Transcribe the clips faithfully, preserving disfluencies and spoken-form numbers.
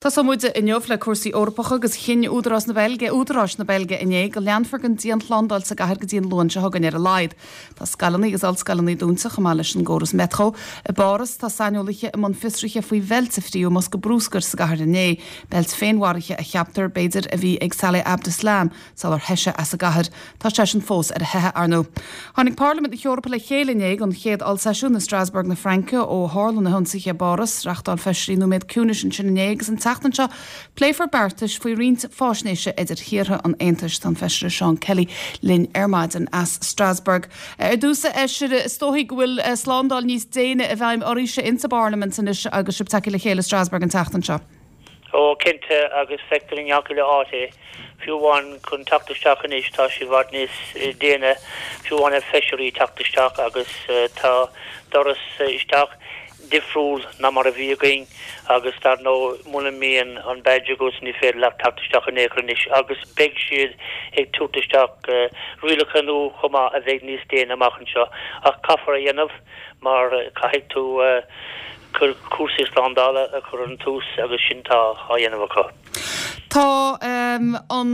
Tosóidh muid inniu le cúrsaí Eorpacha agus chinn Údarás na Beilge Údaráis na Beilge inné go leanfar den dianshlándáil sa gcathair go dtí an Luan seo chugainn ar a laghad. Tá scoileanna agus ollscoileanna dúnta chomh maith leis an gcóras metro. I bPáras tá saineolaithe i mbun fiosraithe faoi bheilt a fríodh i mbosca bruscair sa gcathair inné, beilt féinmharaithe a cheaptar b'fhéidir a bhí ag Salah Abdeslam sular theith sé as an gcathair. Tá seisean fós ar a theitheadh ar ndóigh. Tháinig Parlaimint na hEorpa le chéile inné don chéad ollseisiún i Strasbourg na Fraince ó tharla na hionsaithe i bPáras, reáchtáil feisirí nóiméad ciúnais ansin inné agus an tseachtain seo pléifear beartais faoi roinnt faisnéise idir thíortha an Aontais tá an feisire Seán Kelly linn ar maidin as Strasbourg. Ar dtús a fheisire is dóigh go bhfuil eh, slándáil níos déine i bhfeidhm oraibhse insa bParlaimint anois agus sibh tagtha le chéile Strasbourg an tseachtain seo. Ó cinnte agus feictear i ngach uile áit é fiú amháin chun teacht isteach anois tá sé i bhfad níos eh, déine fiú amháin ar feisirí teacht isteach agus eh, tá doras isteach difriúil ná mar a bhí againn agus dar ndóigh muna mbíonn an badge agat ní féidir leat teacht isteach in aon chor anois agus beidh siad ag tabhairt isteach uh, rialacha nua chomh maith a bheidh níos déine amach anseo ach caithfear a dhéanamh mar uh, caithfidh tú uh, cúrsaí slándála a chur an tús agus sin tá á dhéanamh acu. Tá um, an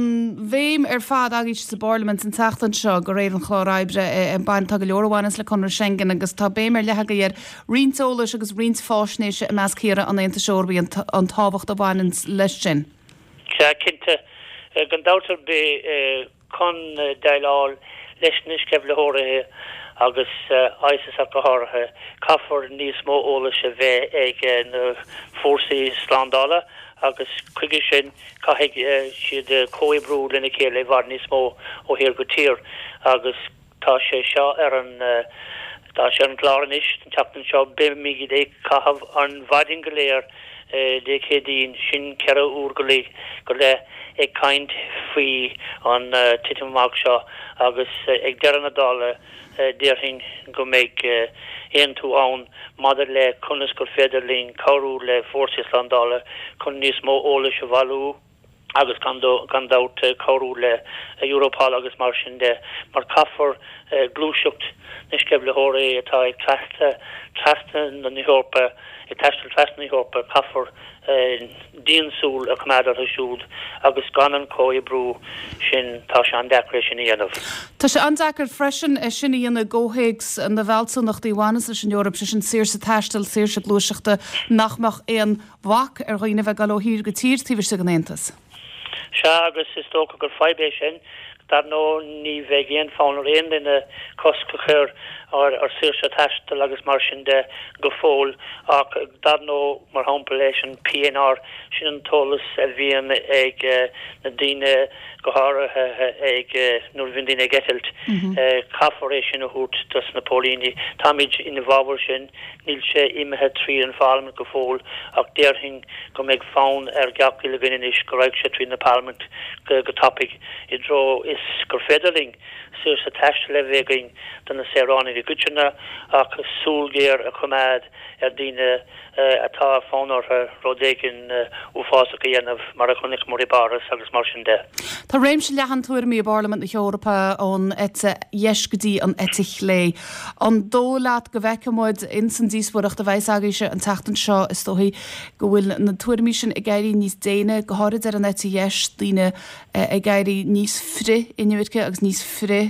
bhéim ar fad agaibh sa bParlaimint an tseachtain seo de réir an chláir oibre an bain tá go leor a bhaineanns le Conradh Schengen agus tá béim ar leith agaibh ar roinnt eolais agus roinnt faisnéise i measc thíortha an Aontais Eorpaigh an tábhacht a bhaineann leis sin. Sea cinnte gan dabht ar bith chun déileáil leis na sceimhlitheoirí agus ISIS go háirithe caithfear níos mó eolais a bheith ag na fórsaí slándála agus chuige sin caithfidh siad comhoibriú lena chéile i bhfad níos mó ó thír go tír agus tá sé seo ar an tá sé an chlár anois an tseachtain seo beimid ag caitheamh an mhaidin go léir Dé Céadaoin sin ceithre uair go leith go leith ag caint faoi an titim amach seo agus ag deireadh na dála déarfainn go mbeidh aontú ann maidir le conas gur féidir linn cabhrú le fórsaí slándála chun níos mó eolais a bhailiú agus gan gan dabht cabhrú le Europol agus mar sin de mar caithfear gluaiseacht na sceimhlitheoirí atá ag trasna trasna na hEorpa ag taisteal trasna na hEorpa caithfear diansúil a choimeád orthu siúd agus gan an comhoibriú sin tá sé an-deacair sin a dhéanamh. Tá sé an-deacair freisin é sin a dhéanamh i gcomhthéacs na bhfealsúnachtaí a bhaineanns leis an Eoraip sé sin saoirse taistil saoirse gluaiseachta nach mbeadh aon bhac ar dhaoine bheith ag dul ó thír go tír taobh istigh den Aontas. Sea agus is dócha gur fadhb é sin dar ndóigh ní bheidh aon fonn ar aon duine cosc a chur ar ar saoirse taistil agus mar sin de go fóill ach dar ndóigh mar shampla leis an PNR sin an t-eolas a bhíonn ag na daoine go háirithe ag nuair a bhíonn daoine ag eitilt caithfear é sin a thabhairt dos na póilíní. Táimid ina bhfabhar sin níl sé imithe trí an Pharlaimint go fóill ach déarfainn go mbeidh fonn ar gach uile dhuine anois go raibh sé trí na Parlaimint go go tapaidh i dtreo is gur féidir linn saoirse taistil a bheith againn do na saoránaigh i gcoitinne ach súil ghéar a choimeád ar daoine atá fonn orthu rud éigin uafásach a dhéanamh mar a chonaiceamar i bPáras agus mar sin de. Tá réimse leathan tuairimí i bParlaimint na hEorpa ón eite dheis go dtí an eite chlé. An dóigh leat go bhfeicfimid ins an díospóireacht a bheas agaibhse an tseachtain seo is dóigh go bhfuil na tuairimí sin ag éirí níos déine go háirid ar an eite dheis daoine ag éirí níos frith-inimirce agus níos frith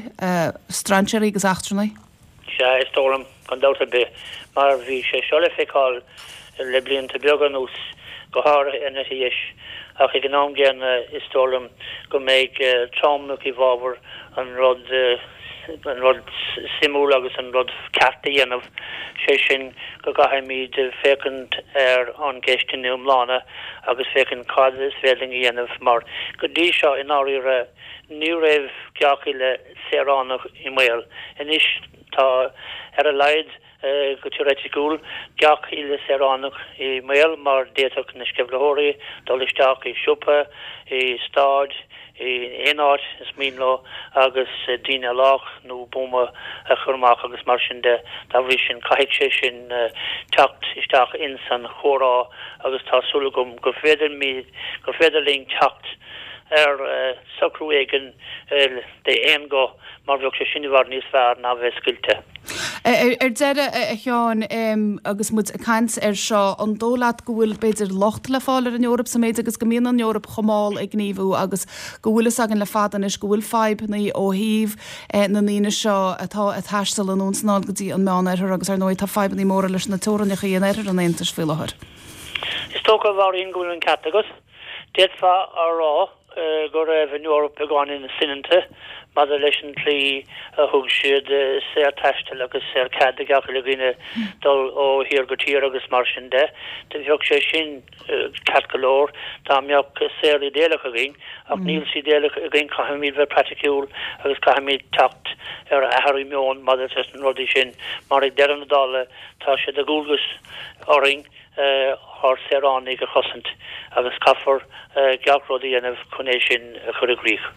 strainséirí agus eachtrannaigh? Sea is dóigh liom gan dabht ar bith mar bhí sé seo le feiceáil le blianta beaga anuas go háirithe an eite dheis ach ag an am gcéanna is dóigh liom go mbeidh tromlach i bhfabhar an rud an rud suimiúil agus an rud ceart a dhéanamh sé sin go gcaithfimid féachaint ar an gceist ina iomláine agus féachaint cad is féidir linn a dhéanamh mar go dtí seo i ndáiríre ní raibh gach uile saoránach i mbaol. Anois tá ar a laghad go teoiriticiúil gach uile saoránach i mbaol mar d'fhéadfadh na sceimhlitheoirí dul isteach i siopa, i staid, i aon áit is mian leo agus daoine a lách nó buama a chur amach agus mar sin de dá bhrí sin caithfidh sé sin teacht isteach ins an chomhrá agus tá súil agam gur féidir gur féidir linn teacht ar socrú éigin d'aon ghuth mar bheadh sé sin i bhfad níos fearr ná bheith scoilte. Ar deireadh a Sheáin agus muid ag caint air seo, an dóigh leat go bhfuil b'fhéidir locht le fáil ar an Eoraip sa méid agus go mbíonn an Eoraip chomh mall ag gníomhú agus go bhfuil fhios againn le fada anois go bhfuil fadhbanna ó thaobh na ndaoine seo atá ag taisteal anonn is anall go dtí an Meánoirthear agus ar ndóigh tá fadhbanna móra leis na teorainneacha in oirthear an Aontais faoi láthair. Is dócha a Mháirín go bhfuil an ceart agat. D'fhéadfá a rá go raibh an Eoraip beagáinín soineanta maidir leis an tslí a thug siad saorthaisteal agus saorchead do gach uile dhuine dul ó thír go tír agus mar sin de. Bheadh sé sin ceart go leor dá mbeadh saol idéalach againn, ach níl saol idéalach againn, caithfimid bheith praiticiúil agus caithfimid teacht ar athrú meoin maidir leis na rudaí sin, mar ag deireadh na dála tá sé de dhualgas orainn ár saoránaigh a chosaint agus caithfear gach rud a dhéanamh chun é sin a chur i gcrích.